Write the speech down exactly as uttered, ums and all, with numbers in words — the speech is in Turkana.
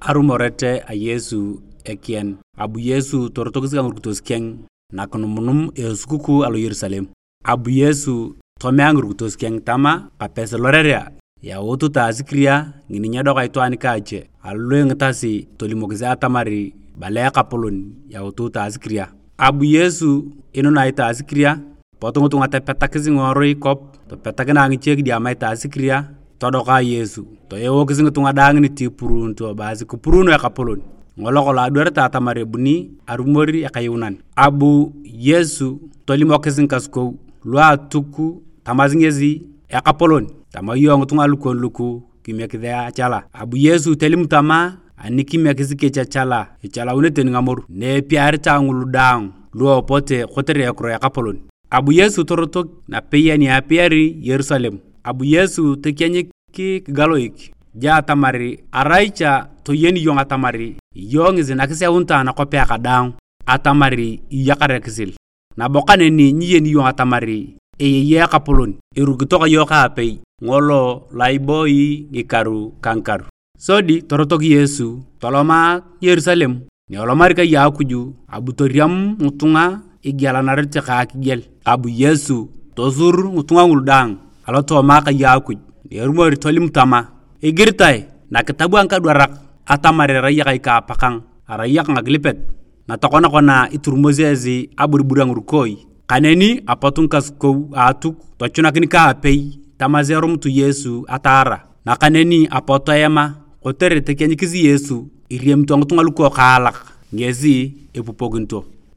Arumoret a Yesu ekian. Abu Yesu torotokis ka ngirukitos keng nakinumunum a esukukuu alo Yerusalem. Abu Yesu tomea ngirukitos keng tama, "Kapesi lorerea, yautu ta asikiria, ngini nyedoka itwaan ka ache." Alu ingitasi tolimokis atamar bala Ekapolon, yautu ta asikiria. Abu Yesu inunai ta asikiria, Pot ngitunga topetakis ngiworui kop, topetakina ngiche kidiama itaasi kiria, todoka Yesu. Toewokis ngitunga daang nitipuruunito, ebaasi, "Kipuruuno Ekapolon." Ngolo kolong adwarete atamar ebuni arumor ekayuunan. Abu Yesu tolimokis ngikasukou lu Atuk, tamasi ngesi, "Ekapolon, tama iyong ngitunga lukon luku kimiekis achala." Abu Yesu tolim tama, "Ani kimiekis kech achala, ichalaunete tani ngamoru." Na epiaritae ngulu daang lu epote kotere ekiro a Ekapolon. Abu Yesu torotok napei ani apiari Yerusalem. Abu Yesu tokieny kigaloik ja atamar arai cha toyeni iyong atamar iyong ngesi nakiseunitae anakwapea kadaang atamar iyakar ekisil. Nabo kaneni nyiyeni iyong atamar eyei Ekapolon, irukito ka iyong kaapei ngolo lo iboi ngikaru ka ngikaru. Sodi torotok Yesu toloma Yerusalem. Ni elomari kai a Akuj, abu toriam ngitunga igialanarete ka akigiel. Abu Yesu tosur ngitunga ngulu daang alotooma kai a Akuj. Ni erumori tolim tama, "Igiritae nakitabu a ngikadwarak atamar erai akai ka apakang, arai aka ngakilipet." Na tokona kona iturumosi esi aburibur a ngirukoi. Kaneni apot ngikasukou a Atuk tochunakin kaapei tamasi erumut Yesu ataara. Nakaneni apot toema kotere tokianyikis Yesu iriamito ngitunga lukokaalak ngesi epupokinito.